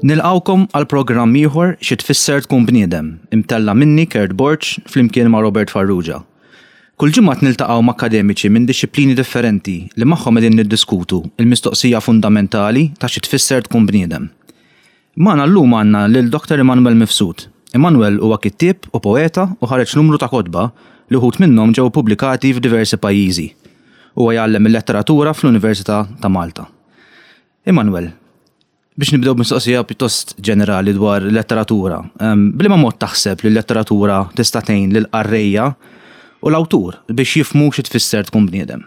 Nilqgħukom għal programm ieħor Xi Tfisser Tkun Bniedem, imtella' minni Kurt Borg flimkien ma' Robert Farrugia. Kull ġimgħa qed niltaqgħu ma' akkademiċi minn dixxiplini differenti li magħhom qegħdin niddiskutu l-mistoqsija fundamentali ta' xi tfisser tkun bniedem. Magħna llum għandna lil Dr. Immanuel Mifsud. Immanuel huwa kittieb u poeta u ħareġ numru ta' kotba li wħud minnhom ġew ippubblikati f'diversi pajjiżi. Huwa jgħallem il-letteratura fl-Università ta' Malta. Immanuel, biex nibdew b'mistoqsija pjuttost ġenerali dwar letteratura, b'liema mod taħseb li l-letteratura tista' tgħin lill-qarrejja u l-awtur biex jifhmu xi tfisser tkun bniedem?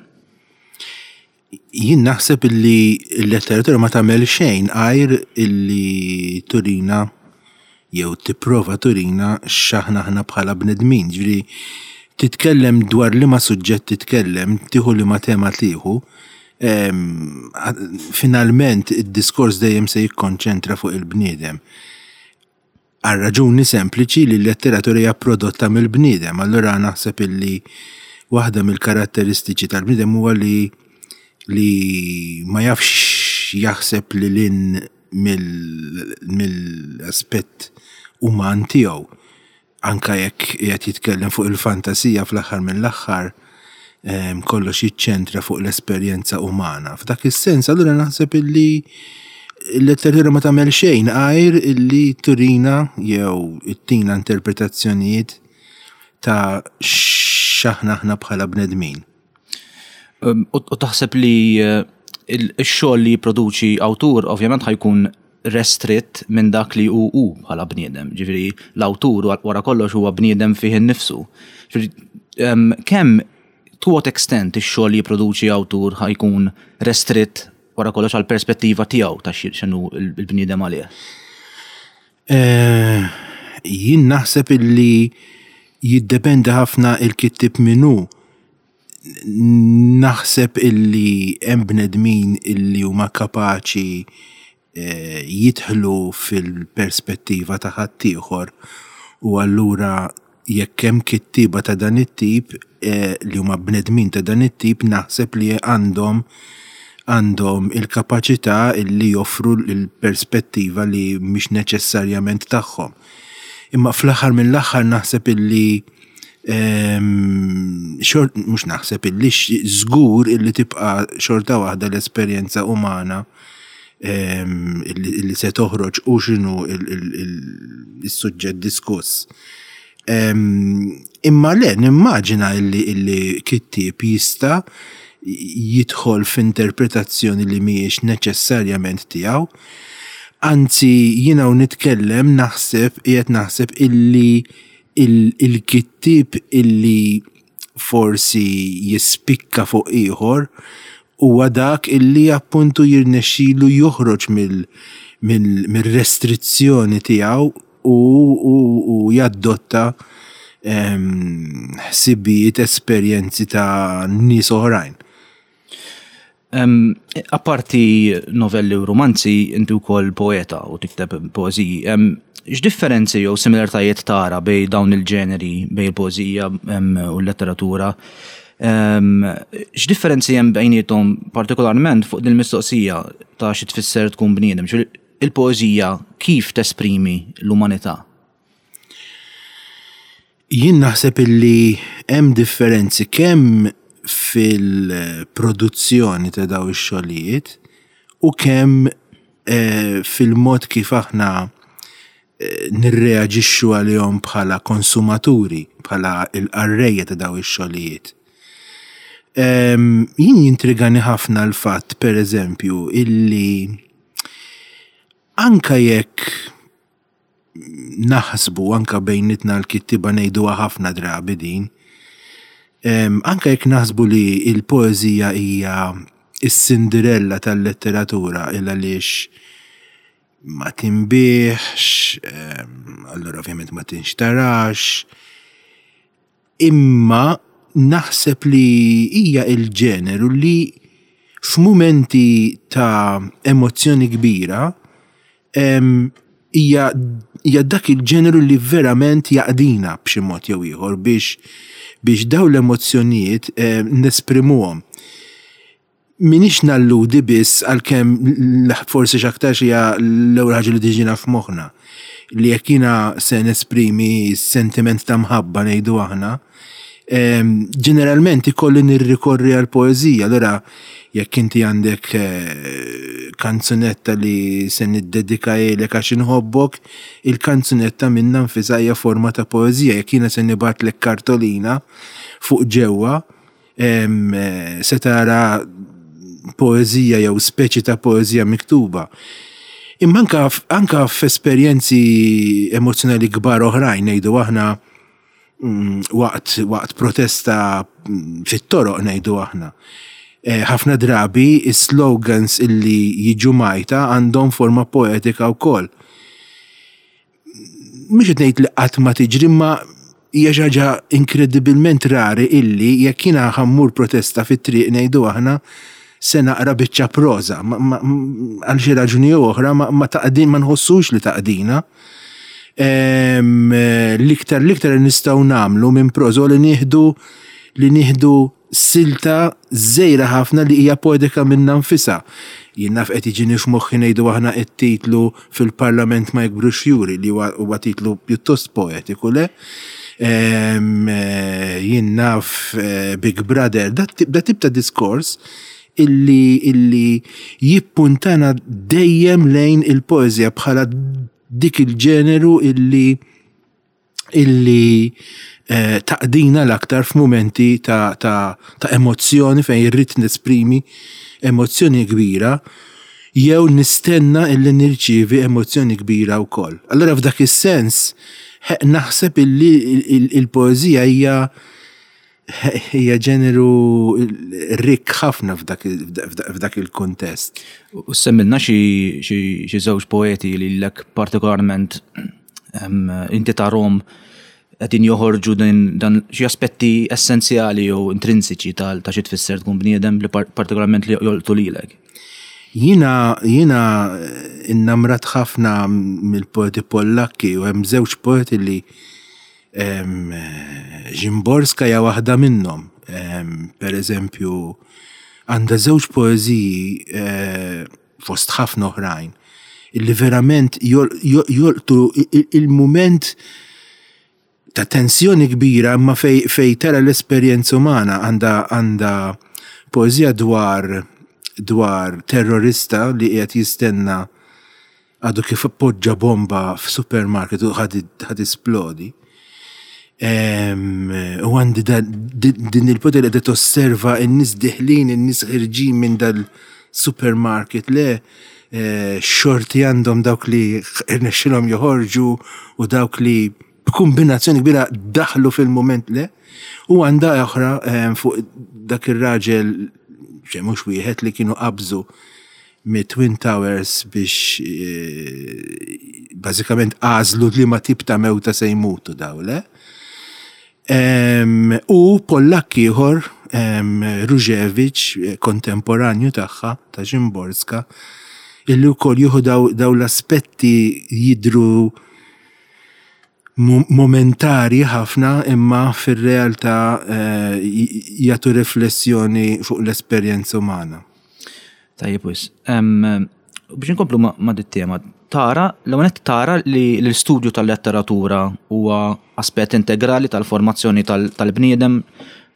Jien naħseb illi l-letteratura ma tagħmel xejn għajr illi turina jew tipprova turina x'aħna aħna bħala bnedmin. Ġifieri titkellem dwar liema suġġett titkellem, tieħu liema tema tieħu, finalment id-diskors dejjem se jikkonċentra fuq il-bniedem. Għal raġuni sempliċi li l-letteratura hija prodotta mill-bniedem, allura naħseb illi waħda mill-karatteristiċi tal-bniedem huwa li li ma jafx jaħseb lil hinn mill-aspett uman tiegħu. Anke jekk qiegħed jitkellem fuq il-fantasija fl-aħħar mill-aħħar kollox jiċċentra fuq l-esperjenza umana. F'dak is-sens allura naħseb illi l-letteratura ma tagħmel xejn għajr illi turina jew ittina interpretazzjonijiet ta' x'aħna aħna bħala bnedmin. U taħseb li eh, il-xogħol li jipproduċi awtur ovvjament ħajkun restritt minn dak li hu hu bħala bniedem. Ġifieri l-awtur wara kollox huwa bniedem fih innifsu. Ġifieri kemm to what extent ix-xogħol li jipproduċi awtur ħajkun restritt wara kollox għal perspettiva tiegħu ta' x'inhu l-bniedem għalih? Eh, jien naħseb illi jiddependi ħafna il-kittib min hu. Naħseb illi hemm bnedmin illi huma kapaċi eh, jidħlu fil-perspettiva ta' ħaddieħor u allura jekk hemm kittieba ta' dan it-tip eh, li huma bnedmin ta' dan it-tip naħseb li għandhom għandhom il-kapaċità illi joffru l-perspettiva li mhix neċessarjament tagħhom. Imma fl-aħħar mill-aħħar naħseb illi ehm, xort mhux naħseb illi żgur illi tibqa' xorta waħda l-esperjenza umana ehm, illi se toħroġ u x'inhu il-suġġett diskuss. Ehm, imma le, nimmaġina illi, illi kittieb jista' jidħol f'interpretazzjoni li mhijiex neċessarjament tiegħu. Anzi, jiena u nitkellem naħseb qiegħed naħseb illi il-kittieb illi forsi jispikka fuq ieħor huwa dak illi appuntu jirnexxilu joħroġ mill-restrizzjoni tiegħu u jaddotta ħsibijiet, esperjenzi ta' nies oħrajn. Apparti novelli u rumanzi, inti wkoll poeta u tikteb poeżiji. X'differenzi jew similaritajiet tara bejn dawn il-ġeneri, bejn il-poeżija u l-letteratura? X'differenzi hemm bejniethom partikolarment fuq din il-mistoqsija ta' xi tfisser tkun bniedem? Il-poeżija kif tesprimi l-umanità? Jien naħseb illi hemm differenzi kemm fil-produzzjoni ta' daw ix-xogħlijiet u kemm eh, fil-mod kif aħna eh, nirreaġixxu għalihom bħala konsumaturi, bħala l-qarrejja ta' daw ix-xogħlijiet. Ehm, jien jintrigani ħafna l-fatt, per eżempju, illi anka jekk naħsbu anka bejnitna l-kittiba ngħiduha ħafna drabi din. Anka jekk naħsbu li l-poeżija hija s-Cinderella tal-letteratura il għaliex ma tinbiegħx, allura ovvjament ma tinxtarax, Imma naħseb li hija il-ġeneru li f'mumenti ta' emozzjoni kbira hija hija dak il-ġeneru li verament jaqdina b'xi mod jew ieħor biex biex dawn l-emozzjonijiet nesprimuhom. M'iniex nalludi biss għalkemm forsi x'aktarx hija l-ewwel ħaġa li tiġina f'moħħna li jekk jiena se nesprimi sentiment ta' mħabba ngħidu aħna, ġeneralment ikolli nirrikorri għal poeżija. Allura jekk inti għandek eh, kanzunetta li se niddedikahielek għax inħobbok, il-kanzunetta minnha nfisha hija forma ta' poeżija. Jekk jiena se nibgħatlek kartolina fuq ġewwa, se tara poeżija jew speċi ta' poeżija miktuba. Imma anka, anka f'esperjenzi emozzjonali kbar oħrajn ngħidu aħna mm, waqt, waqt protesta mm, fit-toroq ngħidu aħna. Eh, ħafna drabi is-slogans illi jiġu majta għandhom forma poetika wkoll. Mhux qed ngħid li qatt ma tiġri imma hija xi ħaġa inkredibilment rari illi jekk jiena ħa mmur protesta fit-triq ngħidu aħna se naqra biċċa proża. Għal xi raġuni jew oħra ma taqdin ma nħossux li taqdina. L-iktar l-iktar li nistgħu nagħmlu minn proża li nieħdu li nieħdu silta żgħira ħafna li hija poetika minnha nfisha. Jien naf qed jiġini f'moħħi ngħidu aħna t-titlu Fil-Parlament ma jikbrux fjuri li huwa titlu pjuttost poetiku, le? Jien naf Big Brother, dat tip ta' diskors illi illi jippuntana dejjem lejn il-poeżija bħala dik il-ġeneru illi illi eh, taqdina l-aktar f'mumenti ta', ta, ta emozzjoni fejn irrid nesprimi emozzjoni kbira jew nistenna illi nirċievi emozzjoni kbira wkoll. Allura f'dak is-sens naħseb illi il-poeżija hija hija ġeneru rikk ħafna f'dak il-kuntest. U semmilna xi żewġ poeti li lek partikolarment inti tarhom qegħdin joħorġu dan xi aspetti essenzjali jew intrinsiċi ta' xi tfisser tkun bniedem li partikolarment li jolqtu lilek. Jiena jiena innamrat ħafna mill-poeti Pollakki u hemm żewġ poeti li Szymborska hija waħda minnhom. Per eżempju, għandha żewġ poeżiji eh, fost ħafna oħrajn illi verament jolqtu il-mument ta' tensjoni kbira imma fej, fej tara l-esperjenza umana għandha għandha poeżija dwar dwar terrorista li qiegħed jistenna għadu kif poġġa bomba f'supermarket u ħa tisplodi. U għandi din il-poter li tosserva n-nies diħlin, in-nies ħirġin minn dal-supermarket le eh, xorti għandhom dawk li rnexxilhom joħorġu u dawk li b'kumbinazzjoni kbira daħlu fil-mument le. U għandha oħra fuq dak ir-raġel mhux wieħed li kienu qabżu mit-Twin Towers biex eh, bażikament għażlu li ma tip ta' mewta se jmutu daw, le? U Pollakk ieħor, Różewicz, eh, kontemporanju tagħha ta' Szymborska, illi wkoll jieħu daw l-aspetti jidru momentari ħafna imma fir-realtà eh, jagħtu riflessjoni fuq l-esperjenza umana. Tajjeb wis. Biex inkomplu ma' dit tema, tara, l-ewwel tara li l-istudju tal-letteratura huwa aspett integrali tal-formazzjoni tal-bniedem,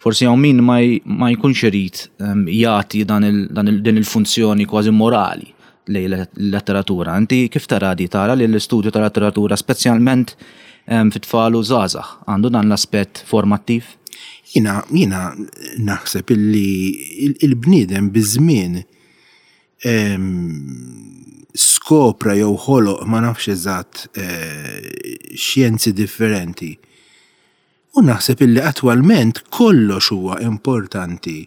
forsi hawn min ma jkunx irid jagħti din il-funzjoni kważi morali lejn il-letteratura. Inti kif tara di? Tara li l-istudju tal-letteratura speċjalment fit-tfal u żgħażagħ għandu dan l-aspett formattiv? Jiena jiena naħseb illi il-bniedem biż-żmien skopra jew ħoloq ma nafx eżatt eh, xjenzi differenti. U naħseb illi attwalment kollox huwa importanti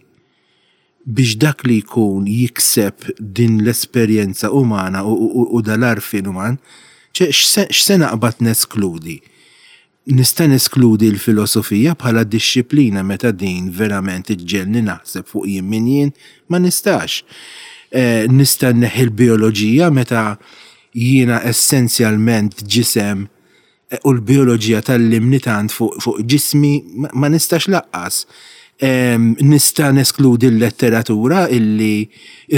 biex dak li jkun jikseb din l-esperjenza umana u dal-għarfien uman, x'se naqbad neskludi? Nista' neskludi l-filosofija bħala dixxiplina meta din verament iġġegħelni naħseb fuq jien min jien? Ma nistax. Nista' nneħħi l-bijoloġija meta jiena essenzjalment ġisem u l-bijoloġija tgħallimni tant fuq ġismi? Ma nistax lanqas. Nista' neskludi l-letteratura illi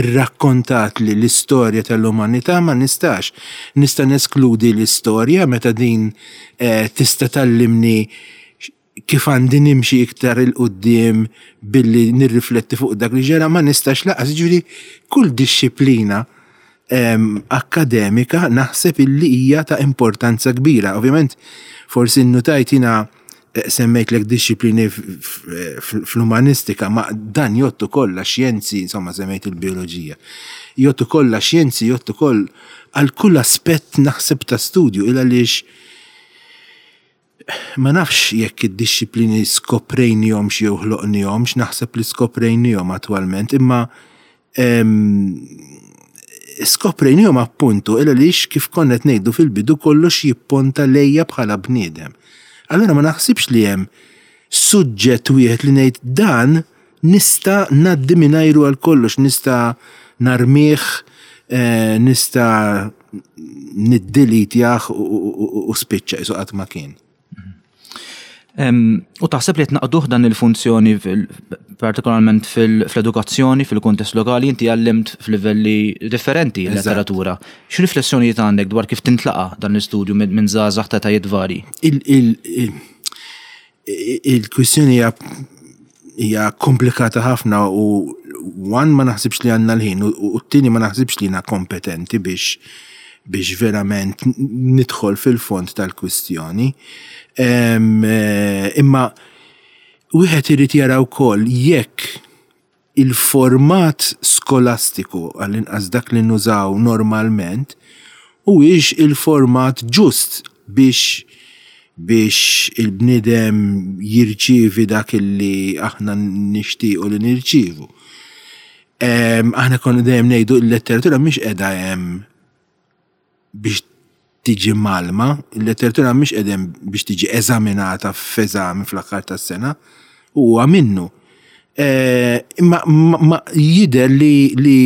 rrakkontat li l-istorja tal-umanità ma nistax. Nista' neskludi l-istorja meta din eh, tista' tgħallimni kif għandi nimxi iktar 'il quddiem billi nirrifletti fuq dak li ġara ma nistax lanqas. Jiġifieri kull dixxiplina akkademika naħseb illi hija ta' importanza kbira. Ovvjament forsi nnutajt jiena eh, semmejtlek dixxiplini fl-umanistika, ma dan jgħodd ukoll għax-xjenzi, insomma semmejt il-bioloġija. Jgħodd ukoll għax-xjenzi, jgħodd ukoll għal kull aspett naħseb ta' studju il għaliex Ma nafx jekk id-dixxiplini skoprejnihomx jew ħloqnihomx, naħseb li skoprejnihom attwalment, imma skoprejnihom appuntu il għaliex kif konna qed ngħidu fil-bidu kollox jipponta lejja bħala bniedem. Allura ma naħsibx li hemm suġġett wieħed li ngħid dan nista' ngħaddi mingħajru għal kollox, nista' narmih, eh, nista' niddilitjah u spiċċa isu qatt ma kien. U taħseb li qed naqduh dan il-funzjoni partikolarment fl-edukazzjoni, fil-kuntest lokali, inti għallimt f'livelli differenti letteratura. X'riflessjonijiet għandek dwar kif tintlaqa dan l-istudju minn żgħażagħ ta' tajiet vari? Il-kwistjoni hija hija komplikata ħafna u one ma naħsibx li għandna l-ħin u t-tieni ma naħsibx li jiena kompetenti biex biex verament nidħol fil-fond tal-kwistjoni. Eh, imma wieħed irid jara wkoll jekk il-format skolastiku, għall-inqas dak li nużaw normalment, huwiex il-format ġust biex biex il-bniedem jirċievi dak li aħna nixtiequ li nirċievu. Aħna konna dejjem ngħidu l-letteratura mhix qiegħda hemm biex tiġi mgħallma, il-letteratura mhix qiegħda hemm biex tiġi eżaminata f'eżami fl-aħħar tas-sena, u huwa minnu. Eh, imma ma jidher li li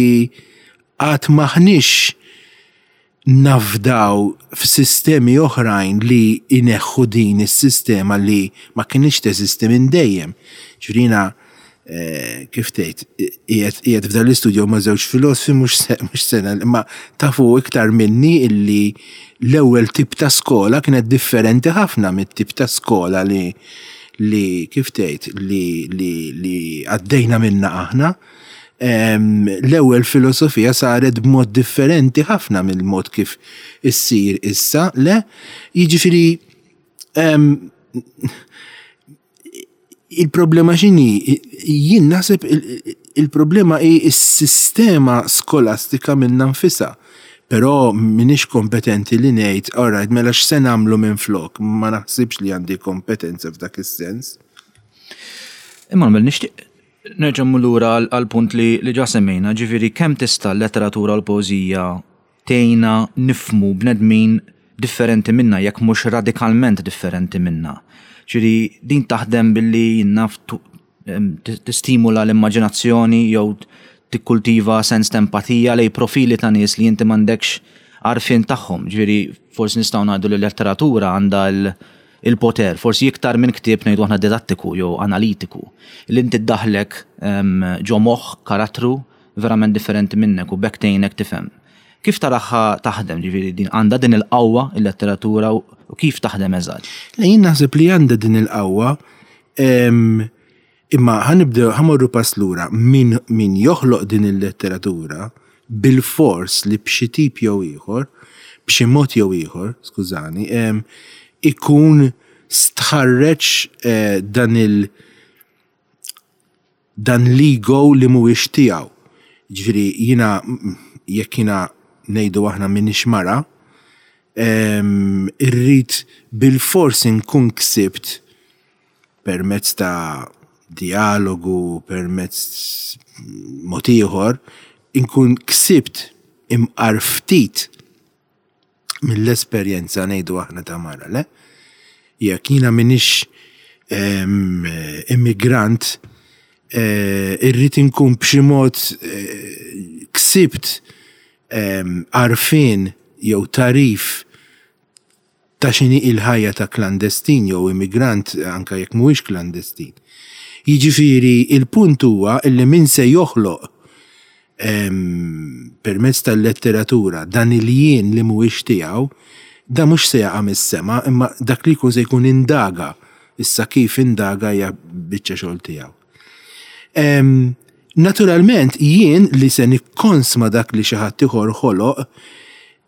għad maħniex nafdaw f'sistemi oħrajn li jneħħu din is-sistema li ma kinitx teżisti minn dejjem. Ġifieri Eh, kif tgħid, qiegħed f'dan l-istudju ma' żewġ filosfi mhux sena, imma tafu iktar minni illi l-ewwel tip ta' skola kienet differenti ħafna mit-tip ta' skola li li kif tgħid li li li għaddejna minna aħna. L-ewwel filosofija saret b'mod differenti ħafna mill-mod kif issir issa, le? Jiġifieri Il-problema x'inhi? Jien naħseb il-problema hi s-sistema skolastika minnha nfisha. Però m'iniex kompetenti li ngħid, all right, mela x'se nagħmlu minflok? Ma naħsibx li għandi kompetenza f'dak is-sens. Emanuel, nixtieq nerġa' mmur lura għall-punt li ġa semmejna, ġifieri kemm tista' l-letteratura u l-poeżija tgħinna nifhmu bnedmin differenti minna jekk mhux radikalment differenti minna. Ġifieri din taħdem billi jien naf tistimula l-immaġinazzjoni jew tikkultiva sens ta' empatija lejn profili ta' nies li inti m'għandekx għarfien tagħhom. Ġifieri forsi nistgħu ngħidu li l-letteratura għandha il-poter, forsi iktar minn ktieb ngħidu aħna didattiku jew analitiku, li inti ddaħħlek ġo moħħ karattru verament differenti minnek u b'hekk tgħinek tifhem. Kif taraha taħdem, ġifieri din għandha din il-qawwa il-letteratura u kif taħdem eżatt? Le jien naħseb li għandha din il-qawwa imma ħa nibdew ħa mmorru pass lura min min joħloq din il-letteratura bilfors li b'xi tip jew ieħor, b'xi mod jew ieħor, skużani, ikun stħarreġ eh, dan il- dan l-ego li mhuwiex tiegħu. Jiġifieri jiena jekk jiena ngħidu aħna m'iniex mara, irrid bilfors inkun ksibt permezz ta' dijalogu, permezz mod ieħor, inkun ksibt imqar ftit mill-esperjenza ngħidu aħna ta' mara, le? Jekk jiena m'iniex immigrant, eh, irrid inkun b'xi mod eh, ksibt għarfien jew tagħrif ta' x'inhi il-ħajja ta' klandestin jew immigrant anke jekk mhuwiex klandestin. Jiġifieri il-punt huwa illi min se joħloq permezz tal-letteratura dan il-jien li mhuwiex tiegħu, da mhux se jaqa' mis-sema imma dak li jkun se jkun indaga. Issa kif indaga hija biċċa xogħol tiegħu. Naturalment jien li se nikkonsma dak li xi ħadd ieħor ħoloq,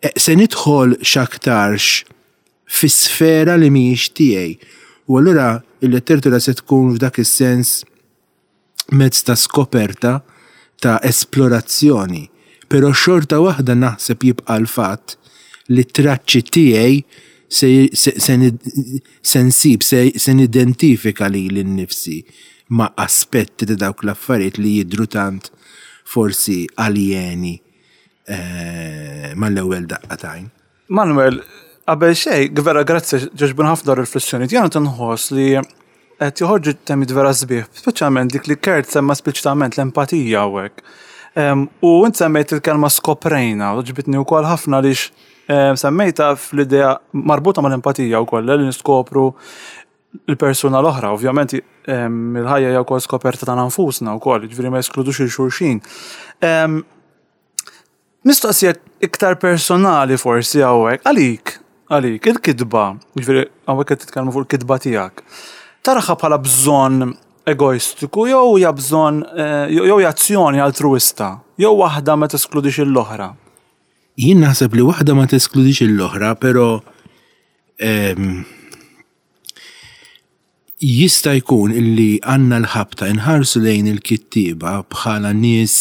eh, se nidħol x'aktarx fi sfera li mhijiex tiegħi. U allura il-letteratura se tkun f'dak is-sens mezz ta' skoperta, ta' esplorazzjoni, però xorta waħda naħseb jibqa' l-fatt li t-traċċi tiegħi se, se, se, se nsib, se, se nidentifika lili nnifsi ma' aspetti ta' dawk l-affarijiet li jidhru tant forsi aljeni eh, mal-ewwel daqqa t'għajn. Manuel, qabel xejn, vera grazzi ġoġbun ħafna dawn riflessjonijiet. Jiena tinħoss li qed joħorġu temiet vera sbieħ, speċjalment dik li Kurt semma espliċitament l-empatija hawnhekk. U int semmejt il-kelma skoprejna, u ġbitni wkoll ħafna għaliex semmejta fl-idea marbuta mal-empatija wkoll li niskopru l-persuna l-oħra. Ovvjament il-ħajja hija wkoll skoperta tagħna nfusna wkoll, jiġifieri ma jeskludux il xulxin. Mistoqsija iktar personali forsi hawnhekk, għalik, għalik, il-kitba, jiġifieri hawnhekk qed titkellmu fuq il-kitba tiegħek. Taraha bħala bżonn egoistiku jew hija bżonn eh, jew hija azzjoni altruwista, jew waħda ma teskludix l-oħra? Jien naħseb li waħda ma teskludix l-oħra, però ehm, Jista' jkun illi għandna l-ħabta inħarsu lejn il-kittieba bħala nies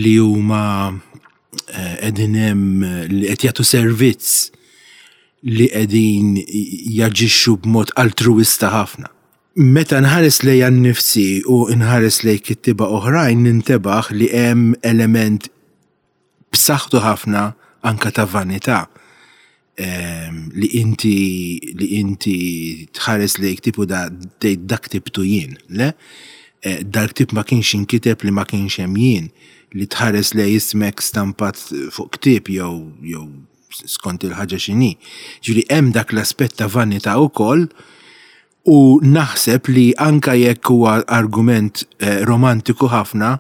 li huma qegħdin hemm li qed jagħtu servizz li qegħdin jaġixxu b'mod altruwista ħafna. Meta nħares lejja nnifsi u nħares lejn kittieba oħrajn nintebaħ li hemm element b'saħħtu ħafna anke ta' vanità ehm, li inti li inti tħares lejk tipu da tgħid dak ktibtu jien, le? Eh, dal-ktib ma kienx inkiteb li ma kienx hemm jien li tħares lej ismek stampat fuq ktieb jew jew skont il-ħaġa x'inhi. Ġifieri hemm dak l-aspett ta' vanità wkoll U naħseb li anka jekk huwa argument eh, romantiku ħafna,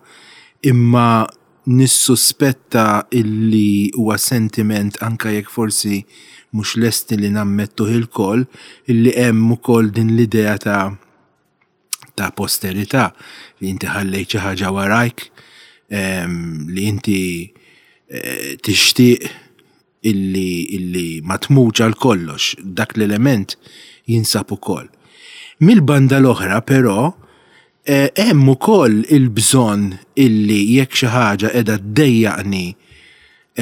imma nissuspetta illi huwa sentiment anka jekk forsi mhux lesti li nammettuh ilkoll, illi hemm ukoll din l-idea ta' ta' posterità li inti ħallejt xi ħaġa warajk, ehm, li inti eh, tixtieq illi illi ma tmutx għal kollox, dak l-element jinsab ukoll. Mill-banda l-oħra però eh, hemm ukoll il-bżonn illi jekk xi ħaġa qiegħda ddejjaqni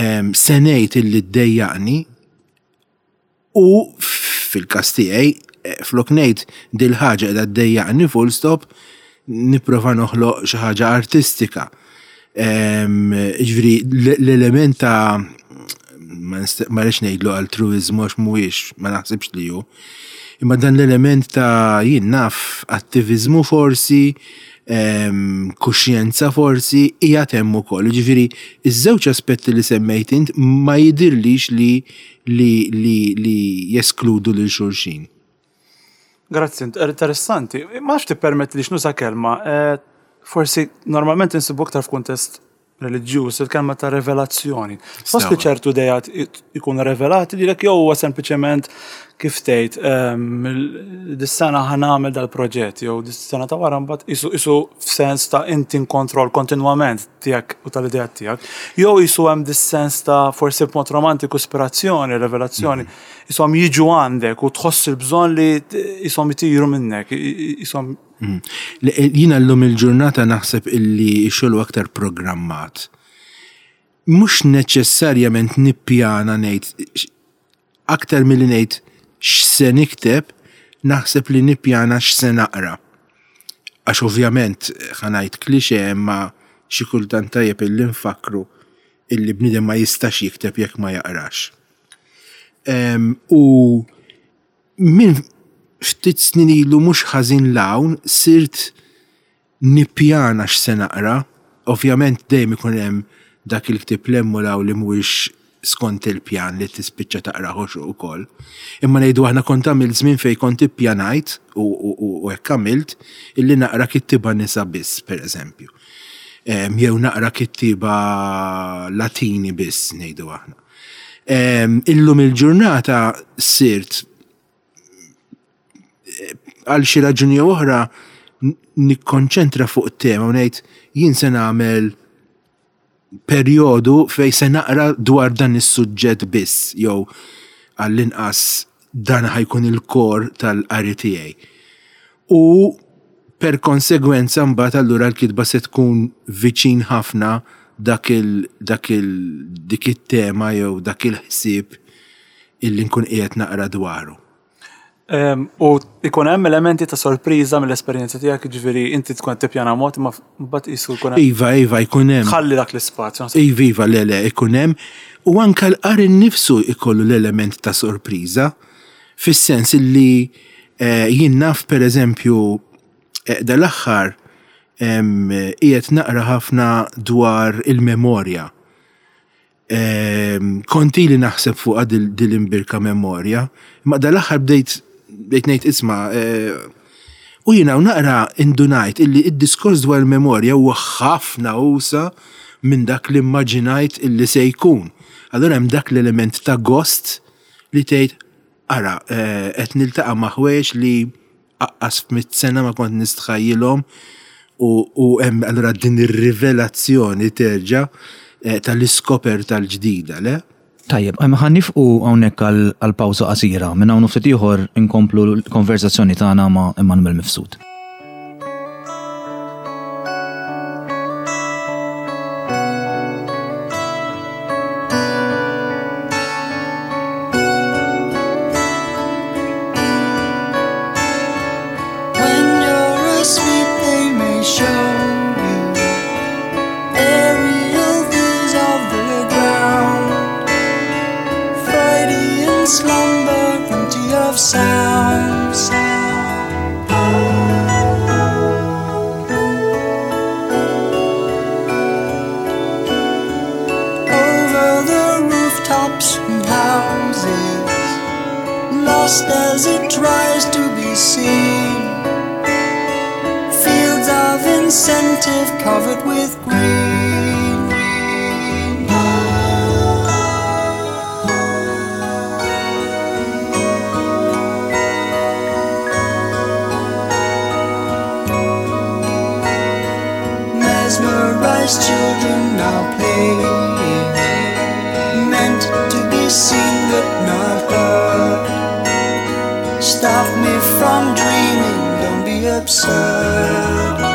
ehm, se ngħid illi ddejjaqni U fil-każ tiegħi, eh, flok ngħid dil-ħaġa qiegħda ddejjaqni full stop, nipprova noħloq xi ħaġa artistika. Ehm, ġifieri l-element ta' ma rridx ngħidlu altruiżmu għax mhuwiex, ma naħsibx li hu. Imma dan l-element ta' jien naf attiviżmu forsi, ehm, kuxjenza forsi hija hemm ukoll. Ġifieri iż-żewġ aspetti li semmejt int ma jidirlix li li li li jeskludu lil xulxin. Grazzi, interessanti. Ma nafx tippermettilix nuża kelma, eh, forsi normalment insibu aktar f'kuntest reliġjuż, il-kelma ta' revelazzjoni. Fost li ċertu dejat ikunu revelati lilek jew huwa sempliċement kif tgħid ehm, dis-sena ħa nagħmel dal-proġett jew dis-sena ta' wara mbagħad isu isu f'sens ta' inti kontroll kontinwament tiegħek u tal-ideat tiegħek. Jew jisu hemm dis-sens ta' forsi b'mod romantiku ispirazzjoni, revelazzjoni, jisom jiġu għandek u tħoss il-bżonn li jisom itiru minnek, jisom. Mm. Eh, jiena llum il-ġurnata naħseb illi xogħol aktar programmat. Mhux neċessarjament nippjana ngħid Aktar milli ngħid x'se nikteb, naħseb li nippjana x'se naqra. Għax ovvjament, ħa ngħid cliché imma xi kultant tajjeb illi nfakkru illi bniedem ma jistax jikteb jekk ma jaqrax. U minn ftit snin ilu mhux ħażin 'l hawn sirt nippjana x'se naqra. Ovvjament dejjem ikun hemm dak il-ktieb 'l hemm u 'l hawn li mhuwiex skont il-pjan li tispiċċa taqrah ukoll. Imma ngħidu aħna kont għamilt żmien fejn kont ippjanajt u hekk għamilt illi naqra kittieba nisa biss, pereżempju. Jew naqra kittieba Latini biss ngħidu aħna. Illum il-ġurnata sirt għal xi raġuni jew oħra nikkonċentra fuq tema u ngħid jien se nagħmel perjodu fej se naqra dwar dan is-suġġett biss jew għall-inqas dan ħa jkun il-core tal-qari tiegħi. U per konsegwenza mbagħad allura l-kitba se tkun viċin ħafna dak il dak il dik it-tema jew dak il-ħsieb illi nkun qiegħed naqra dwaru. U ikun hemm elementi ta' sorpriża mill-esperjenza tiegħek, jiġifieri inti tkun qed tippjana mod imma mbagħad qisu jkun hemm. Iva, iva, jkun hemm. Tħalli dak l-ispazju. Iva, iva, le, le, ikun hemm. U anke l-qari nnifsu jkollu l-element ta' sorpriża, fis-sens illi jien naf pereżempju dal-aħħar qiegħed naqra ħafna dwar il-memorja. Kont ili naħseb fuqha dil-imbirka memorja, imma dal-aħħar bdejt bdejt ngħid isma' u jiena u naqra indunajt illi d-diskors dwar il-memorja huwa ħafna usa' minn dak li immaġinajt illi se jkun. Allura hemm dak l-element ta' gost li tgħid ara qed niltaqa' ma' ħwejjeġ li aqqas f'mitt sena ma kont nistħajjilhom u hemm allura din ir-rivelazzjoni terġa' eh, tal-iskoperta l-ġdida, le? Tajjeb, ħa nifqu hawnhekk għal pawża qasira. Minn hawn ftit ieħor inkomplu l-konverzazzjoni tagħna ma' Immanuel Mifsud. Lost as it tries to be seen. Fields of incentive covered with green. Mesmerized children now playing, meant to be seen but not heard. Stop me from dreaming, don't be absurd.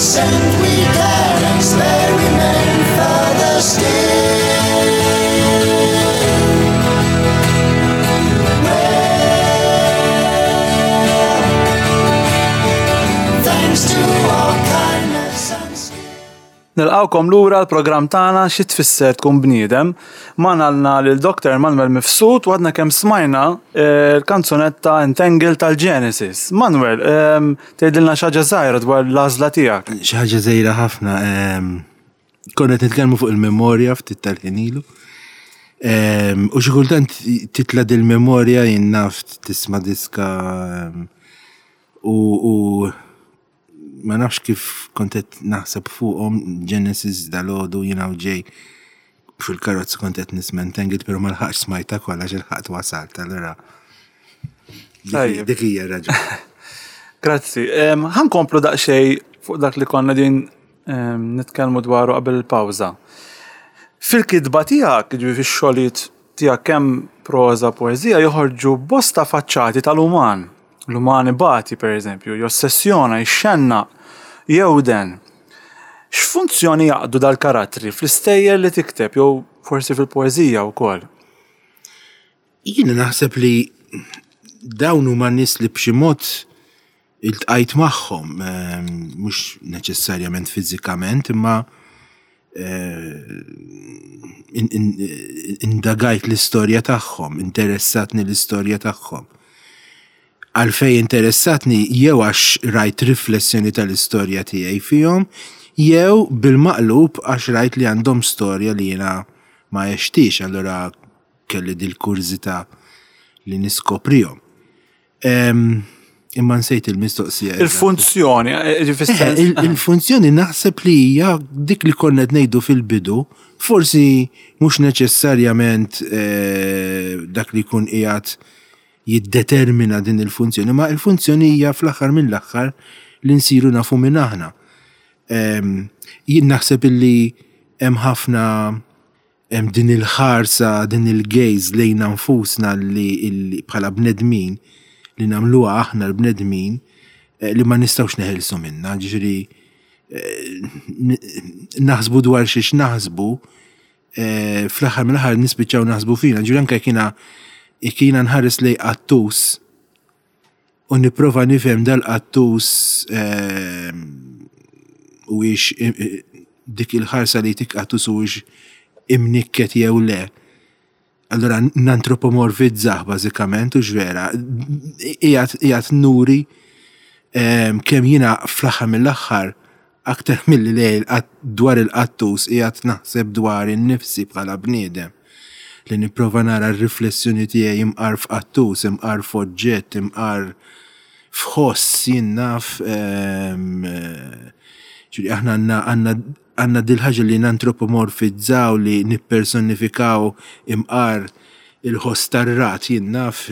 consent we can experiment further still. Well, thanks to our kindness and skill. Nilqgħukom lura l-programm tagħna Xi Tfisser Tkun Bniedem. Magħna għandna lil Dr. Manuel Mifsud u għadna kemm smajna eh, l-kanzunetta Entangle tal-Genesis. Manuel, ehm, tgħidilna xi ħaġa żgħira dwar l-għażla tiegħek. Xi ħaġa żgħira ħafna. Ehm, konna qed nitkellmu fuq il-memorja ftit tal-ħin ilu. Ehm, u xi kultant titla' dil-memorja jien naf tisma' diska u ma nafx kif kont qed naħseb fuqhom Genesis dalgħodu jiena u ġej fil-karozza kont qed nisma' Entangled però ma lħaqx smajtha kollha għax ilħaqt wasalt allura dik hija raġuni. Grazzi. Ħa nkomplu daqsxejn fuq dak li konna din nitkellmu dwaru qabel il-pawża. Fil-kitba tiegħek, jiġifieri fix-xogħlijiet tiegħek kemm proża poeżija joħorġu bosta faċċati tal-uman. L-uman ibati, pereżempju, jossessjona, jixxennaq, jewden. X'funzjoni jaqdu dal-karattri fl-istejjer li tikteb jew forsi fil-poeżija wkoll? Jiena naħseb li dawn huma nies li b'xi mod iltqajt magħhom, ehm, mhux neċessarjament fiżikament, imma eh, indagajt l-istorja tagħhom, interessatni l-istorja tagħhom. Għalfej interessatni jew għax rajt riflessjoni tal-istorja tiegħi fihom, jew bil-maqlub għax rajt li għandhom storja li jiena ma għextix, allura kelli dil-kurżità li niskoprihom. Imma nsejt il-mistoqsija. Il-funzjoni, eh, eh, il-funzjoni naħseb li hija dik li konna qed ngħidu fil-bidu, forsi mhux neċessarjament eh, dak li jkun qiegħed jiddetermina din il-funzjoni, ma il-funzjoni hija fl-aħħar mill-aħħar li nsiru nafu minn aħna. Jien naħseb illi hemm ħafna Hemm din il-ħarsa, din il-gaze lejna nfusna li bħala bnedmin li nagħmluha aħna l-bnedmin eh, li ma nistgħux neħilsu minnha, ġifieri eh, naħsbu dwar xiex naħsbu, eh, fl-aħħar mill-aħħar nispiċċaw naħsbu fina, ġifieri anke jekk jiena nħares lej qattus u nipprova nifhem dal-qattus ehm, u ix dik il-ħarsa li tik qattus u ix imnikket jew le. Allora nantropomorfizzah bażikament u x'vera. Qiegħed nuri ehm, kemm jiena fl-aħħar mill-aħħar Aktar milli lejl dwar il-qattus qiegħed naħseb dwari nnifsi bħala bniedem. Li nipprova nara r-riflessjoni tiegħi imqar f'qattus, imqar f'oġġett, imqar f'ħoss jien naf ġifieri aħna għandna għandna għandna dil-ħaġa li nantropomorfizzaw li nippersonifikaw imqar il-ħoss tar-rat jien naf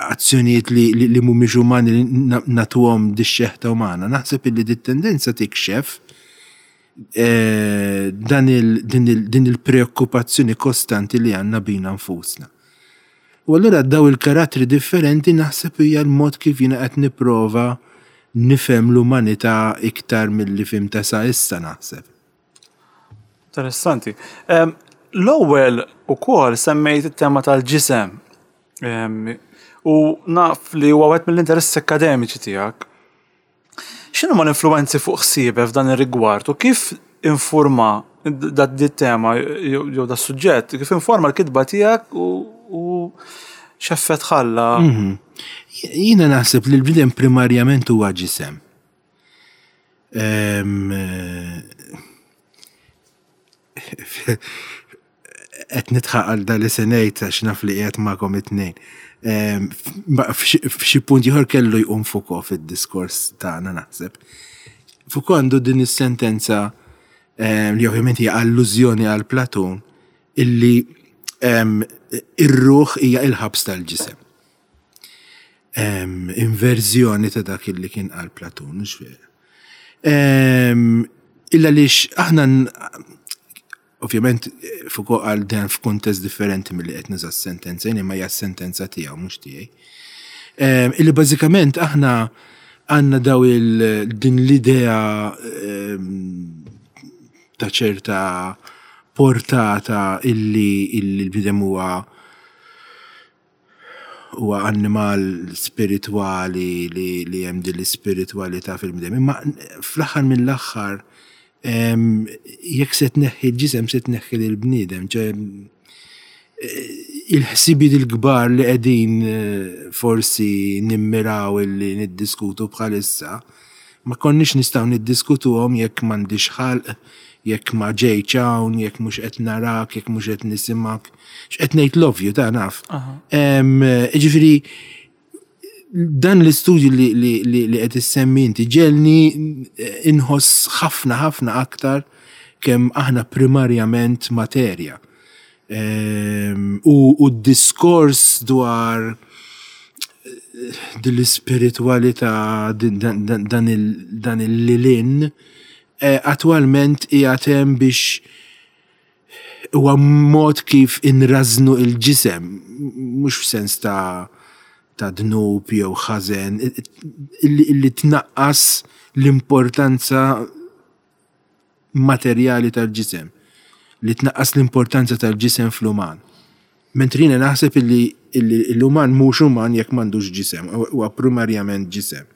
azzjonijiet li mhumiex umani li nagħtuhom dix-xeħta umana. Naħseb illi dit-tendenza tikxef eh, dan din il-preokkupazzjoni kostanti li għandna bina nfusna. U allura daw il-karattri differenti naħseb hija l-mod kif jiena qed nipprova nifhem l-umanità iktar milli fhimtha sa issa naħseb. Interessanti. L-ewwel ukoll semmejt it-tema tal-ġisem. U naf li huwa wieħed mill-interessi akkademiċi tiegħek. X'inhuma l-influwenzi fuq ħsiebek f'dan ir-rigward u kif informa dit tema jew da suġġett, kif informa l-kitba tiegħek u x'effett ħalla? Mhm. Jiena naħseb li l-bniedem primarjament huwa ġisem. Qed nidħaq għal dan li se ngħid għax naf li qiegħed magħkom it-tnejn. F'xi punt ieħor kellu jqum Foucault fid-diskors tagħna naħseb. Foucault għandu din is-sentenza li ovvjament hija allużjoni għal Platun illi ir-ruħ hija il-ħabs tal-ġisem. Inverżjoni ta' dak illi kien qal Platun, mhux vera. Illa lix aħna ovvjament Foucault qal dan f'kuntest differenti milli qed nuża s-sentenza jien imma hija s-sentenza tiegħu mhux tiegħi. Illi bażikament aħna Għandna daw il din l-idea ta' ċerta portata illi l-bniedem huwa huwa annimal spiritwali li, li hemm din l-ispiritwalità fil-bniedem. Imma fl-aħħar mill-aħħar jekk se tneħħi l-ġisem se tneħħi lill-bniedem, ċe il-ħsibijiet il-kbar li qegħdin eh, forsi nimmiraw illi niddiskutu bħalissa, ma konniex nistgħu niddiskutuhom jekk m'għandix ħalq, jekk ma ġejtx hawn, jekk mhux qed narak, jekk mhux qed nisimgħek. X'qed ngħid l-ovvju ta' naf. Ġifieri dan l-istudju li, li, li, li qed issemmi inti ġelni eh, inħoss ħafna ħafna aktar kemm aħna primarjament materja. Ehm, u, u d-diskors dwar eh, din l-ispiritualità, dan il-lilin, eh, attwalment qiegħed hemm biex huwa mod kif inrażnu il-ġisem, mhux f'sens ta' ta' dnub jew ħażen, illi tnaqqas l-importanza materjali tal-ġisem, li tnaqqas l-importanza tal-ġisem fl-uman. Mentri jiena naħseb illi l-uman mhux uman jekk m'għandux ġisem, huwa primarjament ġisem.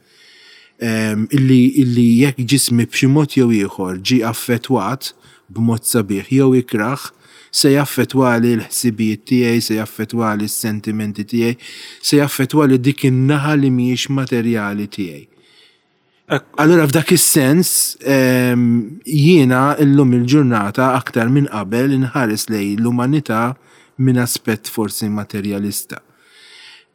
Ehm, illi, illi jekk ġismi b'xi mod jew ieħor ġie affettwat b'mod sabiħ jew ikrah, se jaffettwali l-ħsibijiet tiegħi, se jaffettwali s-sentimenti tiegħi, se jaffettwali dik in-naħa li mhijiex materjali tiegħi. Allura f'dak is-sens ehm, jiena llum il-ġurnata aktar minn qabel inħares lejn l-umanità minn aspett forsi materjalista.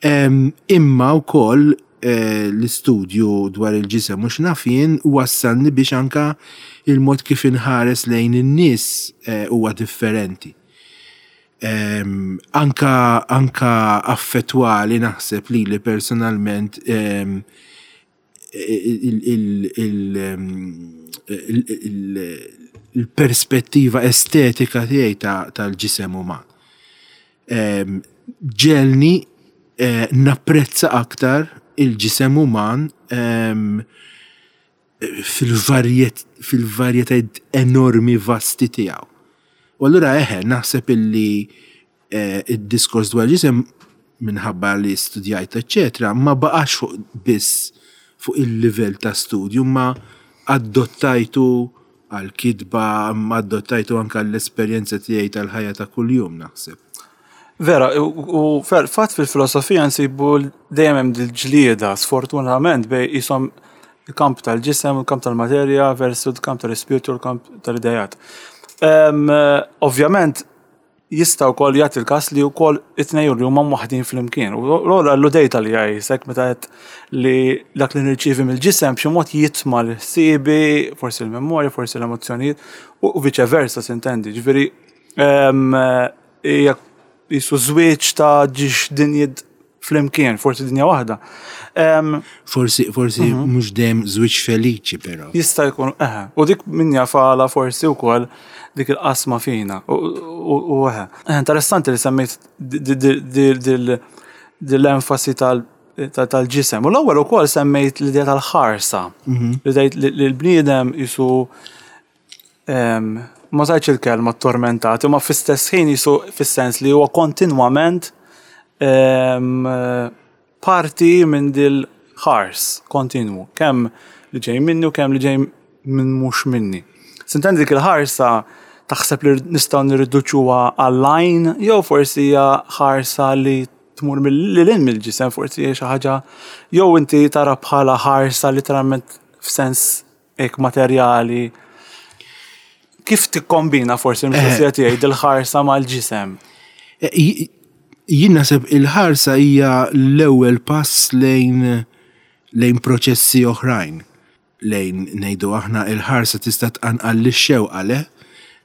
Ehm, imma wkoll eh, l-istudju dwar il-ġisem mhux naf jien wassalni biex anka il-mod kif inħares lejn in-nies eh, huwa differenti. Ehm, anka anka affettwali naħseb lili personalment il-perspettiva estetika tiegħi tal-ġisem uman. Ehm, ġelni eh, napprezza aktar il-ġisem uman ehm, fil-varjetajiet enormi vasti tiegħu. U allura eħe, naħseb illi eh, id-diskors dwar ġisem minħabba li studjajt, eċetera, ma baqax fuq biss fuq il-livell ta' studju, ma adottajtu għal-kitba, ma adottajtu anka l-esperjenza tiegħi tal-ħajja ta' kuljum naħseb. Vera, u fatt fil-filosofija nsibu dejjem hemm dil-ġlieda, sfortunatament bej jisom il-kamp tal-ġisem, il-kamp tal-materja versu il-kamp tal-ispirtu, il-kamp tal-idejat. Ovvjament, Jista' wkoll jagħti l-każ li wkoll it-tnejn li huma mwaħħdin flimkien. U l-ewwel alludejt għaliha jisek meta għedt li dak li nirċievi mill-ġisem b'xi mod jitma' l-ħsiebi, forsi l-memorja, forsi l-emozzjonijiet u viċe versa sintendi. Ġifieri ehm, hija jisu żwieġ ta' ġiex dinjiet flimkien, forsi dinja waħda. Forsi, forsi mhm. mhux dejjem żwieġ feliċi però. Jista' jkun, eħe. U dik min jafala forsi wkoll dik il-qasma fina. U eħe. Interessanti li semmejt dil-enfasi tal-ġisem. U l-ewwel ukoll semmejt l-idea tal-ħarsa. Mhm. Li l-bniedem jisu ma użajtx il-kelma tormentat, imma fl-istess ħin jisu fis-sens li huwa kontinwament parti minn dil ħars kontinwu, kemm li ġej minni u kemm li ġej minn mhux minni. Sintendi dik il-ħarsa taħseb li nistgħu nirriduċuha għall-għajn jew forsi hija ħarsa li tmur lil hinn mill-ġisem, forsi hija xi ħaġa jew inti tara bħala ħarsa literalment f'sens hekk materjali. Kif tikkombina forsi l-mistoqsija eh. tiegħi dil-ħarsa mal-ġisem? Eh, jien naħseb il-ħarsa hija l-ewwel pass lejn lejn proċessi oħrajn. Lejn ngħidu aħna il-ħarsa tista' tqanqal lix-xewqa le?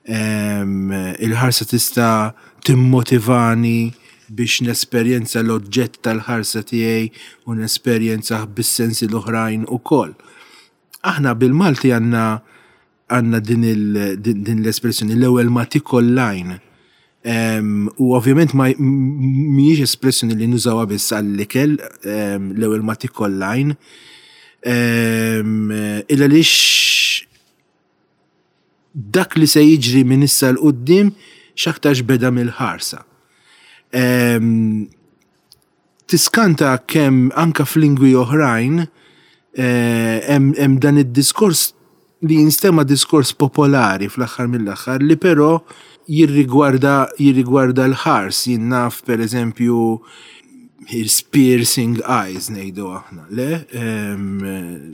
Ehm, il-ħarsa tista' timmotivani biex nesperjenza l-oġġett tal-ħarsa tiegħi u nesperjenzah bis-sensi l-oħrajn ukoll. Aħna bil-Malti għandna għandna din din l-espressjoni l-ewwel ma tikol l-għajn. U ovvjament ma mhijiex espressjoni li nużawha biss għall-ikel, l-ewwel ma tikol l-għajn. Illa għaliex dak li se jiġri minn issa 'l quddiem x'aktarx beda mill-ħarsa. Tiskanta kemm anka f'lingwi oħrajn hemm dan id-diskors li jinstema' diskors popolari fl-aħħar mill-aħħar li però jirrigwarda jirrigwarda l-ħars. Jien naf pereżempju his piercing eyes ngħidu aħna, le?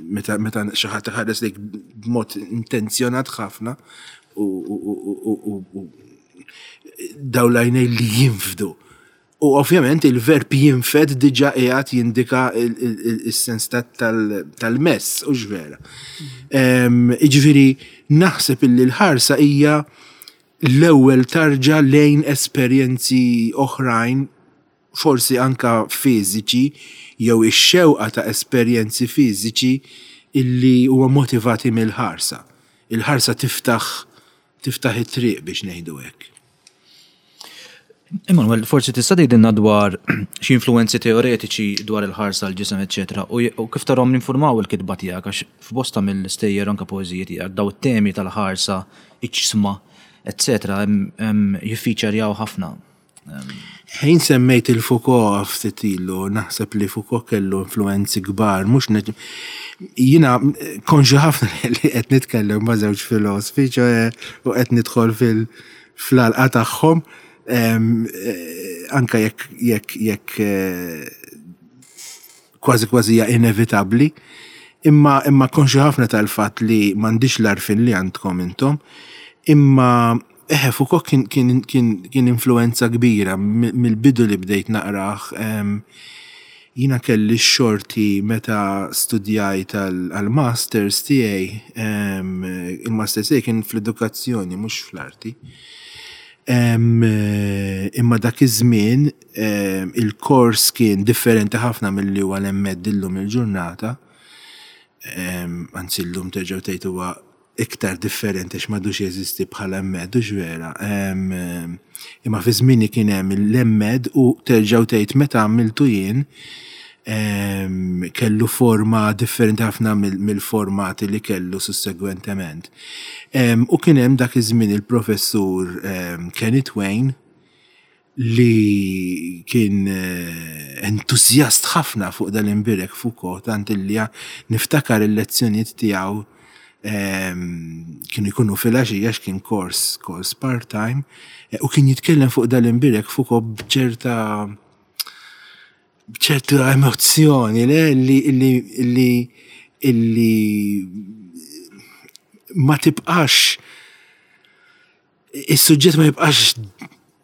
Meta meta xi ħadd iħares lejk b'mod intenzjonat ħafna u u dawn l-għajnejn li jinfdu. U ovvjament il-verb jinfed diġà qiegħed jindika s-sens tal-mess, hux vera? Jiġifieri naħseb illi l-ħarsa hija l-ewwel tarġa lejn esperjenzi oħrajn, forsi anke fiżiċi, jew ix-xewqa ta' esperjenzi fiżiċi illi huma motivati mill-ħarsa. Il-ħarsa tiftaħ tiftaħ it-triq biex ngħidu hekk. Emanuel, forsi tista' tgħidilna dwar xi influwenzi teoretiċi dwar il-ħarsa l-ġisem eċċetera u kif tarhom jinfurmaw il-kitba tiegħek għax f'bosta mill-istejjer anke poeżiji tiegħek daw it-temi tal-ħarsa, iġsma, eċċetera jiffiċerjaw ħafna. Ħin semmejt il-Foucault ftit ilu, naħseb li Foucault kellu influenzi kbar, mhux jiena konxju ħafna li qed nitkellem ma' żewġ filosfi, ċoe u qed nidħol fil-għalqa tagħhom, anke jekk jekk jekk kważi kważi hija inevitabbli, imma imma konxju ħafna tal-fatt li m'għandix l-għarfien li għandkom intom, imma eħe Foucault kien kien kien kien influenza kbira mill-bidu li bdejt naqrah. Jiena kelli x-xorti meta studjajt għall-masters tiegħi, il-masters tiegħi kien fl-edukazzjoni mhux fl-arti. Imma dak iż-żmien il-kors kien differenti ħafna milli huwa l-MED illum il-ġurnata. Anzi llum terġgħu tgħid huwa iktar differenti għax m'għadux jeżisti bħala MED, hux vera. Imma fi żmieni kien hemm l-MED u terġgħu tgħid meta għamiltu jien kellu forma differenti ħafna mill-formati li kellu sussegwentement. U kien hemm dak iż-żmien il-professur Kenneth Wayne li kien entużjast ħafna fuq dal-imbierek Foucault, tant illi niftakar il-lezzjonijiet tiegħu kienu jkunu filgħaxija għax kien kors kors part-time, u kien jitkellem fuq dal-imbierek Foucault b'ċerta b'ċerta emozzjoni le li li li illi ma tibqax is-suġġett ma jibqax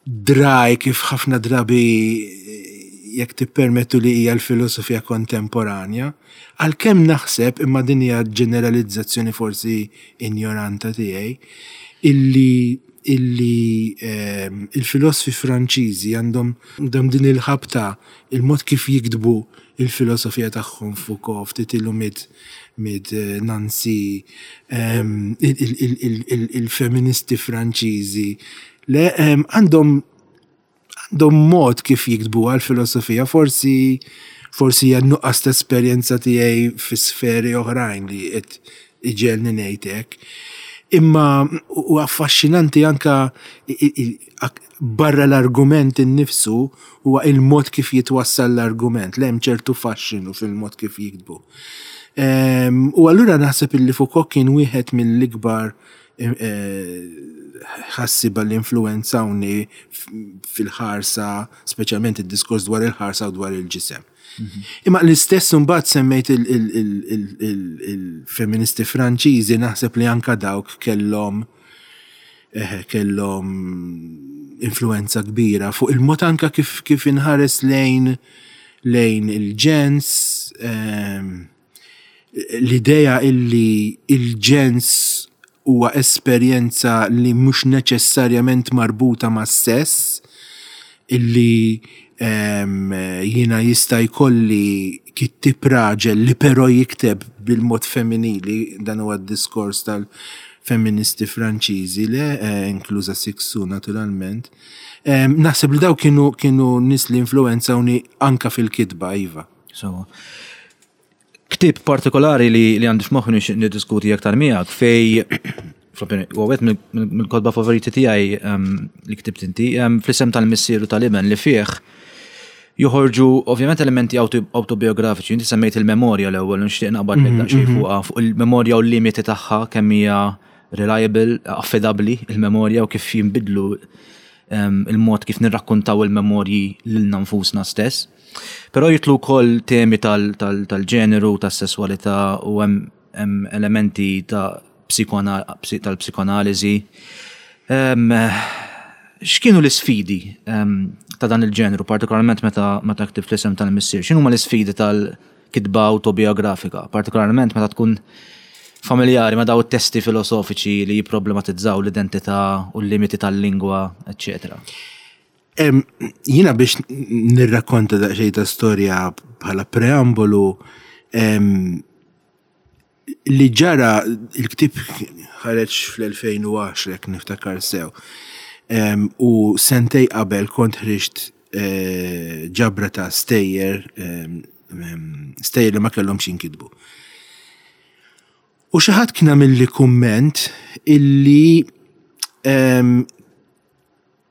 dry kif ħafna drabi jekk tippermettu li hija l-filosofija kontemporanja, għalkemm naħseb imma din hija ġeneralizzazzjoni forsi injoranta tiegħi, illi illi ehm, il-filosfi Franċiżi għandhom għandhom din il-ħabta il-mod kif jiktbu il-filosofija tagħhom Foucault, ftit ilu miet miet Nancy, ehm, il-feministi Franċiżi. Le ehm, għandhom għandhom mod kif jiktbu għal-filosofija, forsi forsi hija nuqqas ta' esperjenza tiegħi fi sferi oħrajn li qed iġegħelni ngħid hekk. Imma u affaxxinanti anka barra l-argument innifsu huwa il-mod kif jitwassal l-argument, li hemm ċertu faxxinu fil-mod kif jiktbu. Ehm, u allura naħseb illi Foucault kien wieħed mill-ikbar eh, ħassiba li influenzawni fil-ħarsa, speċjalment id-diskors dwar il-ħarsa u dwar il-ġisem. Imma l-istess imbagħad semmejt il-feministi Franċiżi naħseb li anka dawk kellhom eh, kellhom influenza kbira fuq il-mod anka kif kif inħares lejn lejn il-ġens ehm, l-idea illi il-ġens huwa esperjenza li mhux neċessarjament marbuta mas-sess, illi ehm, jiena jista' jkolli kittieb raġel li però jikteb bil-mod femminili, dan huwa d-diskors tal-feministi Franċiżi, le, eh, inkluża Cixous naturalment. Ehm, naħseb li daw kienu kienu nies li influenzawni anka fil-kitba, iva. So, Ktieb partikolari li li għandi f'moħħi nixtieq niddiskuti aktar miegħek fej huwa wieħed mill-kotba favoriti tiegħi li ktibt inti, fl-isem tal-missier u tal-iben li fih joħorġu ovvjament elementi autobiografiċi. Inti semmejt il-memorja l-ewwel, nixtieq naqbad lek daqsxejn fuqha, fuq il-memorja u l-limiti tagħha, kemm hija reliable, affidabbli il-memorja u kif jinbidlu il-mod kif nirrakkontaw il-memorji lilna nfusna stess. Però jitlu wkoll temi tal-ġeneru, tas-sesswalità u hemm elementi ta' tal-psikoanaliżi. X'kienu l-isfidi ta' dan il-ġeneru, partikolarment meta ktibt l-isem tal-missier? X'inhuma l-isfidi tal-kitba autobiografika, partikolarment meta tkun familjari ma' daw it-testi filosofiċi li jipproblematizzaw l-identità u l-limiti tal-lingwa, eċċetera? Jiena biex nirrakkonta daqsxejn ta' storja bħala preambolu, li ġara, il-ktieb ħareġ fl-2010 jekk niftakar sew. U sentej qabel kont ħriġt ġabra ta' stejjer, stejjer li ma kellhomx jinkitbu. U xi ħadd kien għamilli kumment illi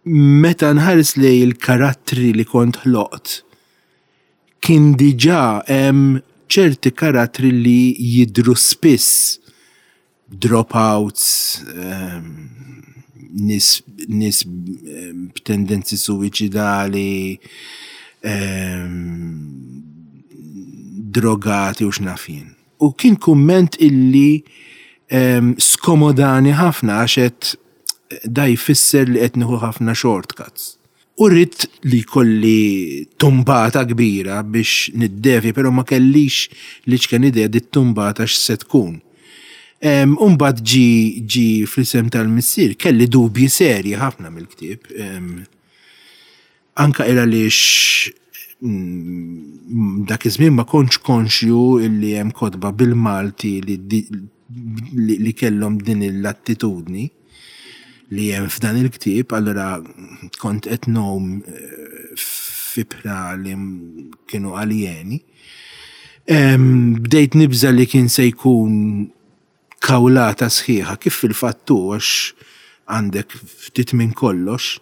meta nħares lej il-karattri li kont ħloqt, kien diġà hemm ċerti karattri li jidhru spiss, dropouts, nies nies b'tendenzi suwiċidali, drogati u x'naf jien. U kien kumment illi skomodani ħafna għax għedt da jfisser li qed nieħu ħafna shortcuts. U ridt li jkolli tumbata kbira biex niddevja, però ma kellix l-iċken idea di tumbata x'se tkun. U mbagħad ġi ġi fl-isem tal-missier, kelli dubji serji ħafna mill-ktieb. Anka il għaliex dak iż-żmien ma kontx konxju illi hemm kotba bil-Malti li, li kellhom din l-attitudni li hemm f'dan il-ktieb, allura kont qed ngħum f'ibħra li kienu aljeni. Bdejt nibża' li kien se jkun kawlata sħiħa, kif fil-fatt hu għax għandek ftit minn kollox.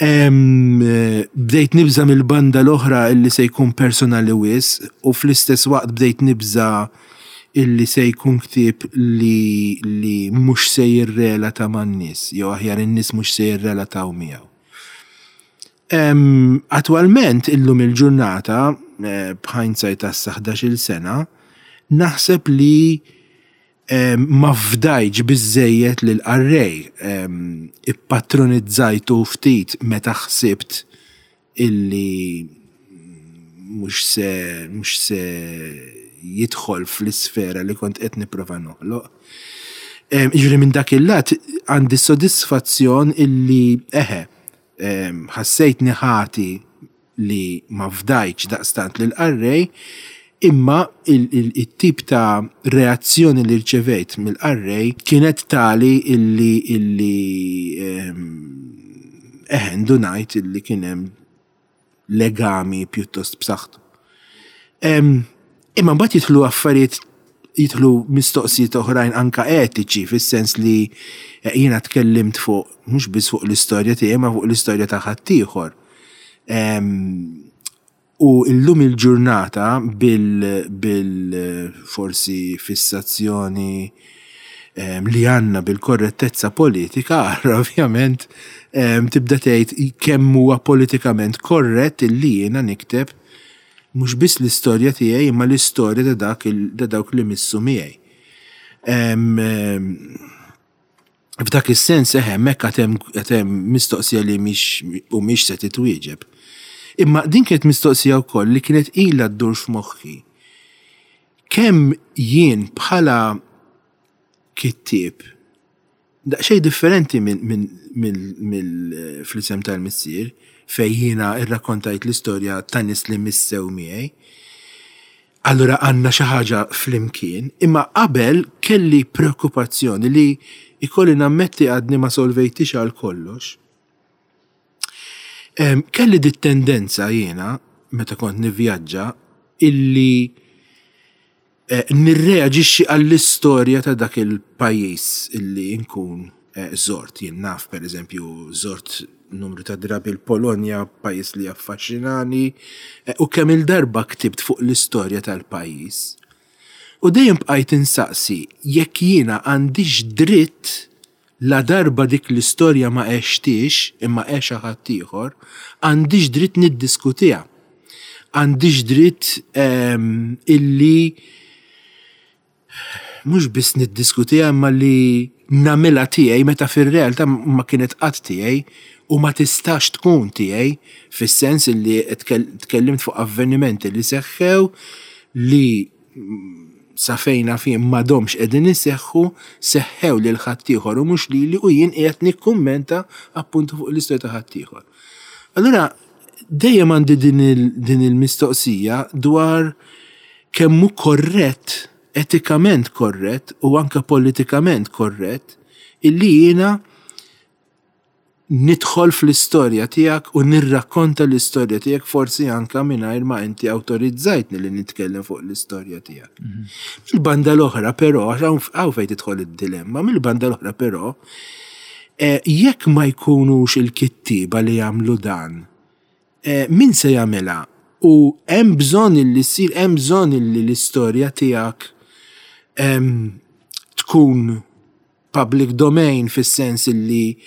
Bdejt nibża' mill-banda l-oħra illi se jkun personali wisq u fl-istess waqt bdejt nibża' illi se jkun ktieb li li mhux se jirrelata man-nies, jew aħjar in-nies mhux se jirrelataw miegħu. Attwalment illum il-ġurnata, b'hindsight ta' issa 11-il sena, naħseb li ma fdajtx biżżejjed lill-qarrej. Ippatronizzajtu ftit meta ħsibt illi mhux se mhux se jidħol fl-isfera li kont qed nipprova noħloq. Jiġifieri minn dak il-lat għandi sodisfazzjon illi eħe, Ħassejtni ħati li ma fdajtx daqstant lill-qarrej, imma it-tip ta' reazzjoni li rċevejt mill-qarrej kienet tali illi illi eħe ndunajt illi kien hemm legami pjuttost b'saħħtu. Imma mbagħad jidħlu affarijiet jidħlu mistoqsijiet oħrajn anka etiċi fis-sens li eh, jiena tkellimt fuq mhux biss fuq l-istorja tiegħi ma fuq l-istorja ta' ħaddieħor. U illum il-ġurnata bil, bil forsi fissazzjoni li għandna bil-korrettezza politika, ovvjament tibda tgħid kemm huwa politikament korrett illi jiena nikteb mhux biss l-istorja tiegħi imma l-istorja ta' dak ta' dawk li missu miegħi. F'dak is-sens eħe hemmhekk għad hemm mistoqsija li mhix u mhix se titwieġeb. Imma din kienet mistoqsija wkoll li kienet ilha ddur f'moħħi. Kemm jien bħala kittieb daqsxejn differenti mill fl-isem tal-missier fejn jiena rrakkontajt l-istorja ta' nies li missew miegħi. Allura għandna xi ħaġa flimkien, imma qabel kelli preokkupazzjoni li jkolli nammetti għadni ma solvejtix għal kollox. Kelli dit tendenza jiena meta kont nivvjaġġa illi. Nirreaġixxi għall-istorja ta' dak il-pajjiż illi nkun żort. Jien naf, pereżempju, żort numru ta' drabi l-Polonja, pajjiż li jaffaxxinani, u kemm-il darba ktibt fuq l-istorja tal-pajjiż. U dejjem bqajt insaqsi jekk jiena għandix dritt ladarba dik l-istorja ma għextiex imma għexha ħaddieħor, għandix dritt niddiskutiha. Għandix dritt illi mhux biss niddiskutiha imma li nagħmilha tiegħi meta fir-realtà ma kienet qatt tiegħi u ma tistax tkun tiegħi fis-sens illi tkellimt fuq avvenimenti li seħħew li sa fejn naf jien m'għadhomx qegħdin iseħħu, seħħew lil ħaddieħor u mhux lili u jien qiegħed nikkummenta appuntu fuq l-istorja ta' ħaddieħor. Allura dejjem għandi din il-mistoqsija dwar kemm hu korrett, etikament korrett u anke politikament korrett illi jiena nidħol fl-istorja tiegħek u nirrakkonta l-istorja tiegħek forsi anka mingħajr ma inti awtorizzajtni li nitkellem fuq l-istorja tiegħek. Mhm. Mill-banda l-oħra però, għax hawn fejn tidħol id-dilemma, mill-banda l-oħra però, eh, jekk ma jkunux il-kittieba li jagħmlu dan, eh, min se jagħmilha? U hemm bżonn li ssir, hemm bżonn li l-istorja tiegħek ehm, tkun public domain fis-sens illi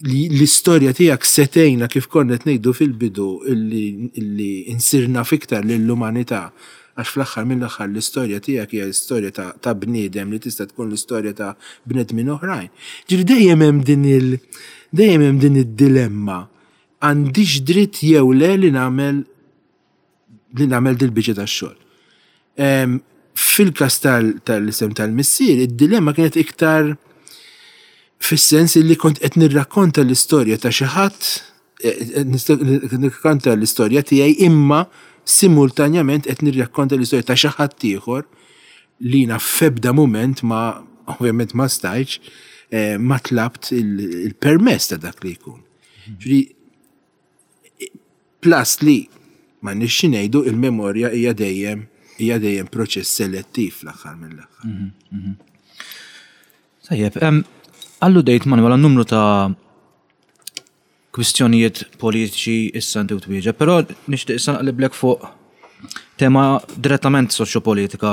l-istorja tiegħek se tgħinna kif konna qed ngħidu fil-bidu illi insir naf iktar lill-umanità għax fl-aħħar mill-aħħar l-istorja tiegħek hija l-istorja ta' bniedem li tista' tkun l-istorja ta' bnedmin oħrajn. Ġifieri dejjem hemm din il dejjem hemm din id-dilemma għandix dritt jew le li nagħmel li nagħmel dil-biċċa tax-xogħol. Fil-każ tal-isem tal-missier, id-dilemma kienet iktar fis-sens li kont qed nirrakkonta l-istorja ta' xi ħadd, eh, eh, nirrakkonta l-istorja tiegħi imma simultanjament qed nirrakkonta l-istorja ta' xi ħadd ieħor li jiena f'ebda mument ma ovvjament ma stajtx eh, ma tlabt il-permess ta' dak li jkun. Ġifieri Plus li, m'għandniex xi ngħidu, il-memorja hija dejjem hija dejjem proċess selettiv fl-aħħar mill-aħħar. Mhm, mhm. Tajjeb, alludejt Manuel għal numru ta' kwistjonijiet politiċi issa inti u twieġeb, però nixtieq issa naqliblek fuq tema direttament soċjopolitika,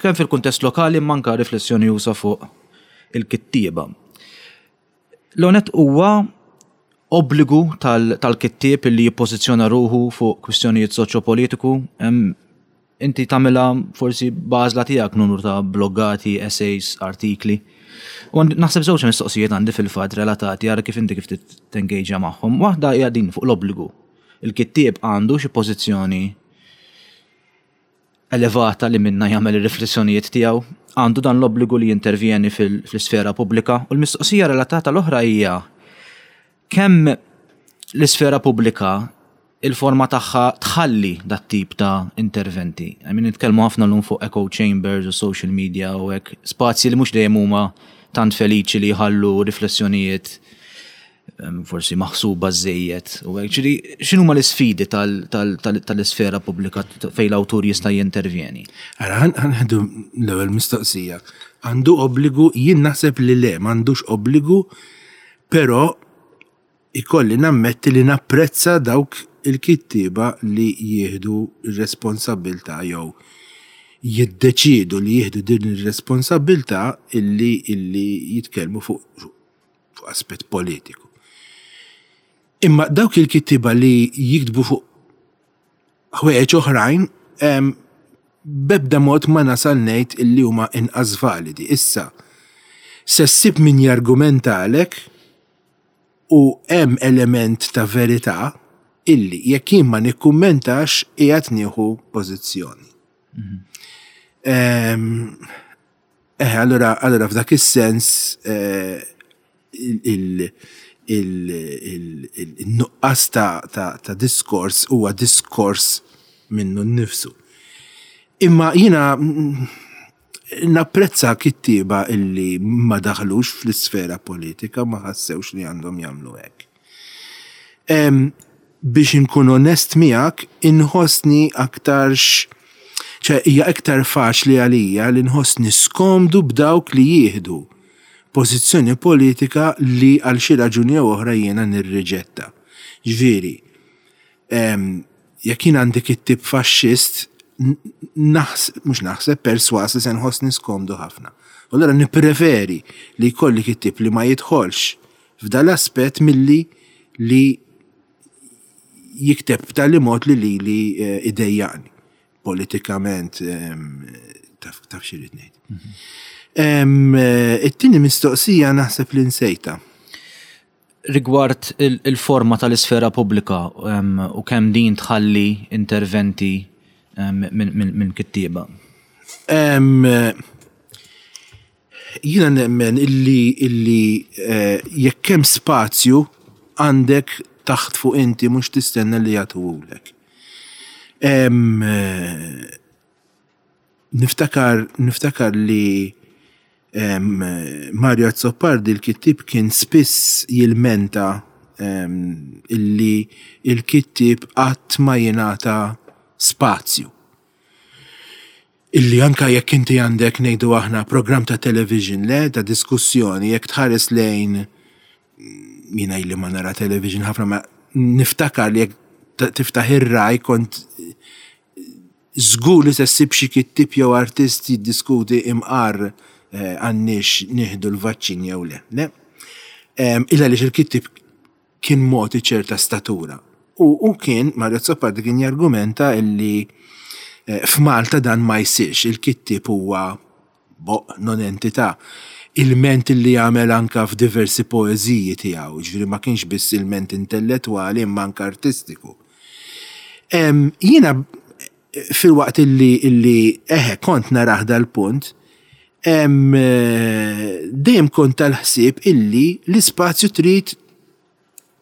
kemm fil-kuntest lokali manka riflessjoni usa fuq il-kittieba. L-għonet huwa obbligu tal-kittieb li jippożizzjona ruħu fuq kwistjonijiet soċjopolitiku. Inti tagħmilha forsi b'għażla tiegħek numru ta' bloggati, essays, artikli. U naħseb żewġ mistoqsijiet għandi fil-fatt relatati ara kif inti kif tengejġa magħhom. Waħda hija din fuq l-obbligu. Il-kittieb għandu xi pożizzjoni elevata li minnha jagħmel ir-riflessjonijiet tiegħu, għandu dan l-obbligu li jintervjeni fl-isfera pubblika? U l-mistoqsija relatata l-oħra hija kemm l-isfera pubblika il-forma tagħha tħalli dat-tip ta' interventi. I mean, nitkellmu ħafna llum fuq echo chambers u social media u hekk, spazji li mhux dejjem huma tant feliċi li jħallu riflessjonijiet forsi maħsuba żejjed. U hekk, ġifieri x'inhuma l-isfidi tal-isfera pubblika fejn l-awtur jista' jintervjeni? Ara, ħanħdu l-ewwel mistoqsija. Għandu obbligu, jien naħseb li le, m'għandux obbligu, però ikolli nammetti li napprezza dawk il-kittieba li jieħdu r-responsabbiltà jew jiddeċiedu li jieħdu din ir-responsabbiltà illi illi jitkellmu fuq fuq aspett politiku. Imma dawk il-kittieba li jiktbu fuq ħwejjeġ oħrajn b'ebda mod ma nasal ngħid illi huma inqas validi. Issa, se ssib min jargumentalek u hemm element ta' verità illi jekk jien ma nikkummentax qiegħed nieħu pożizzjoni. Mhm. Eh, allura, allura f'dak is-sens eh, il-nuqqas ta' diskors huwa diskors minnu nnifsu. Imma jiena mm, napprezza kittieba illi ma daħlux fl-isfera politika ma ħassewx li għandhom jagħmlu hekk. Biex inkun onest miegħek, inħossni aktarx. ċe hija iktar faċli għalija li nħossni skomdu b'dawk li jieħdu pożizzjoni politika li għal xi raġuni jew oħra jiena nirriġetta. Ġifieri, jekk jien għandi kittieb faxxist, mhux naħseb, perswas li se nħossni skomdu ħafna. U allura nippreferi li jkolli kittieb li ma jidħolx f'dal-aspett milli li jikteb b'tali mod li lili idejjaqni politikament, taf xi rrid ngħid. It-tieni mistoqsija naħseb li nsejtha. Rigward il-forma tal-isfera pubblika u kemm din tħalli interventi minn kittieba. Jiena nemmen illi illi jekk hemm spazju għandek taħtfu inti mhux tistenna li jagħtuhulek. Niftakar niftakar li Mario Azzopardi l-kittieb kien spiss jilmenta illi l-kittieb qatt ma jingħata spazju. Illi anke jekk inti għandek ngħidu aħna programm ta' television, le, ta' diskussjoni, jekk tħares lejn jiena ili ma nara television ħafna ma niftakar li jekk tiftaħ ir-Rai kont żgur li se ssib xi kittieb jew artist jiddiskuti imqar għandniex nieħdu l-vaċċin jew le. Le? Illa għaliex il-kittieb kien mogħti ċerta statura. U hu kien, Mario Azzopardi kien jargumenta illi eh, f'Malta dan ma jsirx, il-kittieb huwa boq non entità. Ilment illi jagħmel anka f'diversi poeżiji tiegħu, ġifieri ma kienx biss ilment intellettwali imma anka artistiku. Jiena filwaqt illi illi eħe kont narah dal-punt, dejjem kont tal-ħsieb illi l-ispazju trid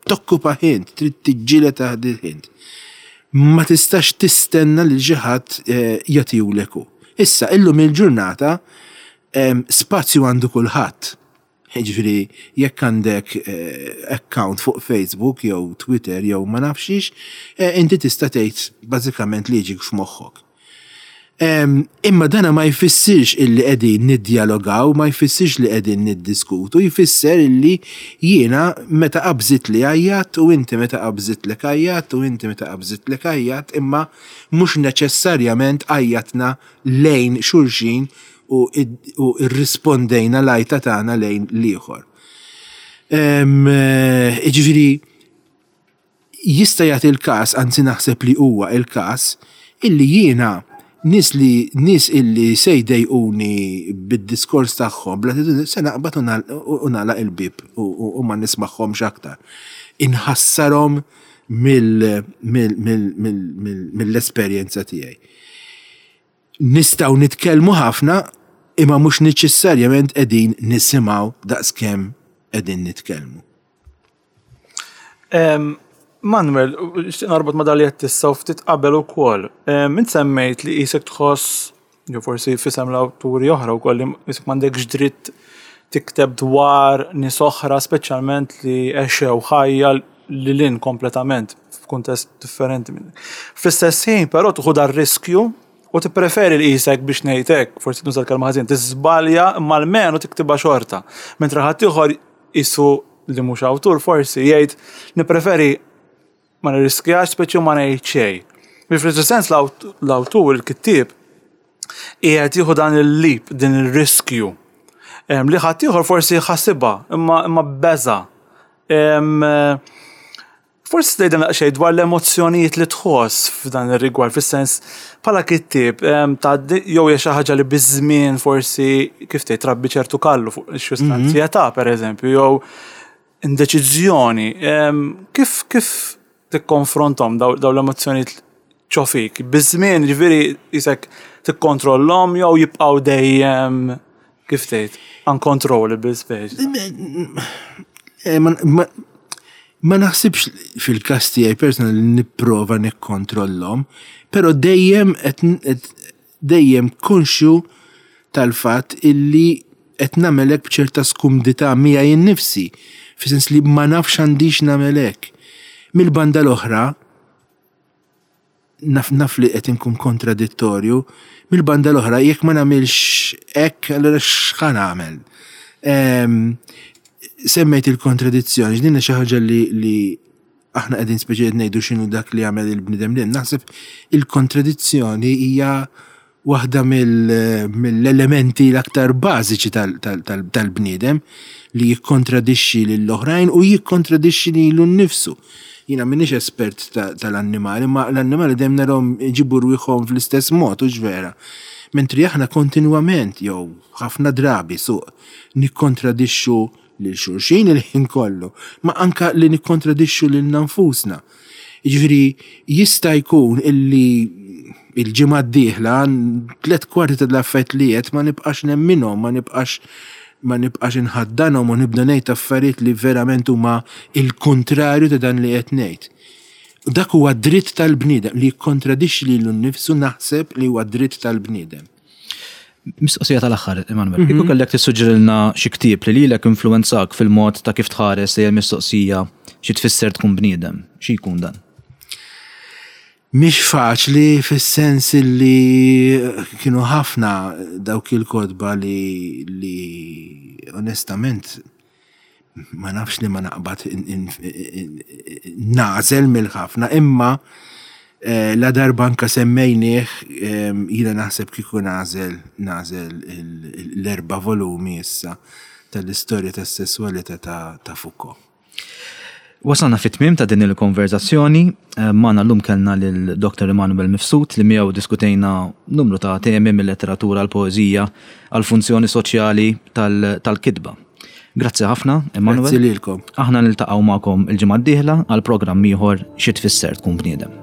tokkupa int, trid tiġġieled għalih int. Ma tistax tistenna li xi ħadd eh, jagħtihulek hu. Issa, illum il-ġurnata spazju għandu kulħadd. Jiġifieri jekk għandek account fuq Facebook jew Twitter jew ma nafx xiex, inti tista' tgħid bażikament li jiġik f'moħħok. Imma dana ma jfissirx illi qegħdin niddjalogaw, ma jfissirx li qegħdin niddiskutu, jfisser illi jiena meta qabżitli għajjatt u inti meta qabżitlek għajjatt u inti meta qabżitlek għajjatt imma mhux neċessarjament għajjatna lejn xulxin u rrispondejna l-għajta tagħna lejn l-ieħor. Jiġifieri jista' jagħti l-każ, anzi naħseb li huwa l-każ, illi jiena nies li nies illi se jdejquni bid-diskors tagħhom, bl-attitudni, se naqbad u nagħlaq il-bieb u ma nismagħhomx aktar. Inħassarhom mill-esperjenza tiegħi. Nistgħu nitkellmu ħafna imma mhux neċessarjament qegħdin nisimgħu daqskemm qegħdin nitkellmu. Manuel, nixtieq norbot ma' dak li qed issa u ftit qabel ukoll. Int semmejt li qisek tħoss, jew forsi f'isem l-awturi oħra wkoll li qisek m'għandekx dritt tikteb dwar nies oħra speċjalment li għexew ħajja lil hinn kompletament f'kuntest differenti minnek. Fl-istess ħin però tieħu dar-riskju u tippreferi li qisek biex ngħid hekk, forsi nuża l-kelma ħażin, tiżbalja imma almenu tiktibha xorta. Mentre ħaddieħor qisu li mhux awtur forsi jgħid nippreferi ma nirriskjax speċi ma ngħid xejn. Biex fl-istess sens l-awtur, il-kittieb, qiegħed jieħu dan il-leap, din ir-riskju. Li ħaddieħor forsi ħasibha imma imma beża'. Forsi tgħidilna daqsxejn dwar l-emozzjonijiet li tħoss f'dan ir-rigward, fis-sens bħala kittieb tgħaddi jew hija xi ħaġa li biż-żmien forsi kif tgħid trabbi ċertu kallu fuq xi anzjetà pereżempju jew indeċiżjoni. Kif kif tikkonfronthom dawn l-emozzjonijiet ġo fik? Biż-żmien jiġifieri qisek tikkontrollhom jew jibqgħu dejjem kif tgħid uncontrollable speċi? Eh, ma naħsibx fil-każ tiegħi personali li nipprova nikkontrollhom, però dejjem dejjem konxju tal-fatt illi qed nagħmel hekk b'ċerta skumdità miegħi nnifsi, fis-sens li ma nafx għandix nagħmel hekk. Mill-banda l-oħra, Naf naf li qed inkun kontradittorju, mill-banda l-oħra jekk ma nagħmilx hekk allura x'ħa nagħmel? Ehm, semmejt il-kontradizzjoni, x'din xi ħaġa li, li aħna qegħdin speċi qed ngħidu x'inhu dak li jagħmel il-bniedem li naħseb il-kontradizzjoni hija waħda mill-elementi l-aktar bażiċi tal-bniedem li jikkontradixxi lill-oħrajn u jikkontradixxi lilu nnifsu. Jiena m'iniex espert tal-annimali, ma l-annimali dejjem narahom iġibu rwieħhom fl-istess mod, hux vera? Mentri aħna kontinwament jew ħafna drabi suq nikkontradixxu lil xulxin il-ħin kollu, ma anka li nikkontradixxu lilna nfusna. Jiġifieri jista' jkun illi il-ġimgħa d-dieħla tlet kwarti ta' l-affarijiet li għedt ma nibqax nemminhom, ma nibqax ma nibqax inħaddanhom u nibda ngħid affarijiet li verament huma il-kuntrarju ta' dan li qed ngħid. Dak huwa dritt tal-bniedem li jikkontradixxi lilu nnifsu naħseb li huwa dritt tal-bniedem. Mistoqsija tal-aħħar, Emanuel. Kieku kellek tissuġġerilna xi ktieb li lilek influwenzak fil-mod ta' kif tħares lejn il-mistoqsija xi tfisser tkun bniedem, xi jkun dan? Mhix faċli fis-sens li kienu ħafna dawk il-kotba li li onestament ma nafx li ma naqbad nagħżel mill-ħafna imma eh, la darba anka semmejnieh eh, jiena naħseb kieku nagħżel nagħżel l-erba' volumi issa tal-istorja tas-sesswalità ta' Foucault. Wasalna fit-tmiem ta' din il-konverzazzjoni. Eh, magħna llum kellna lil Dr. Emanuel Mifsud li miegħu diskutejna numru ta' temi mill-letteratura għal poeżija għal funzjoni soċjali tal-kitba. Grazzi ħafna, Emanuel. Grazzi lilkom. Aħna niltaqgħu magħkom il-ġimgħa d-dieħla għal programm ieħor xi tfisser tkun bniedem.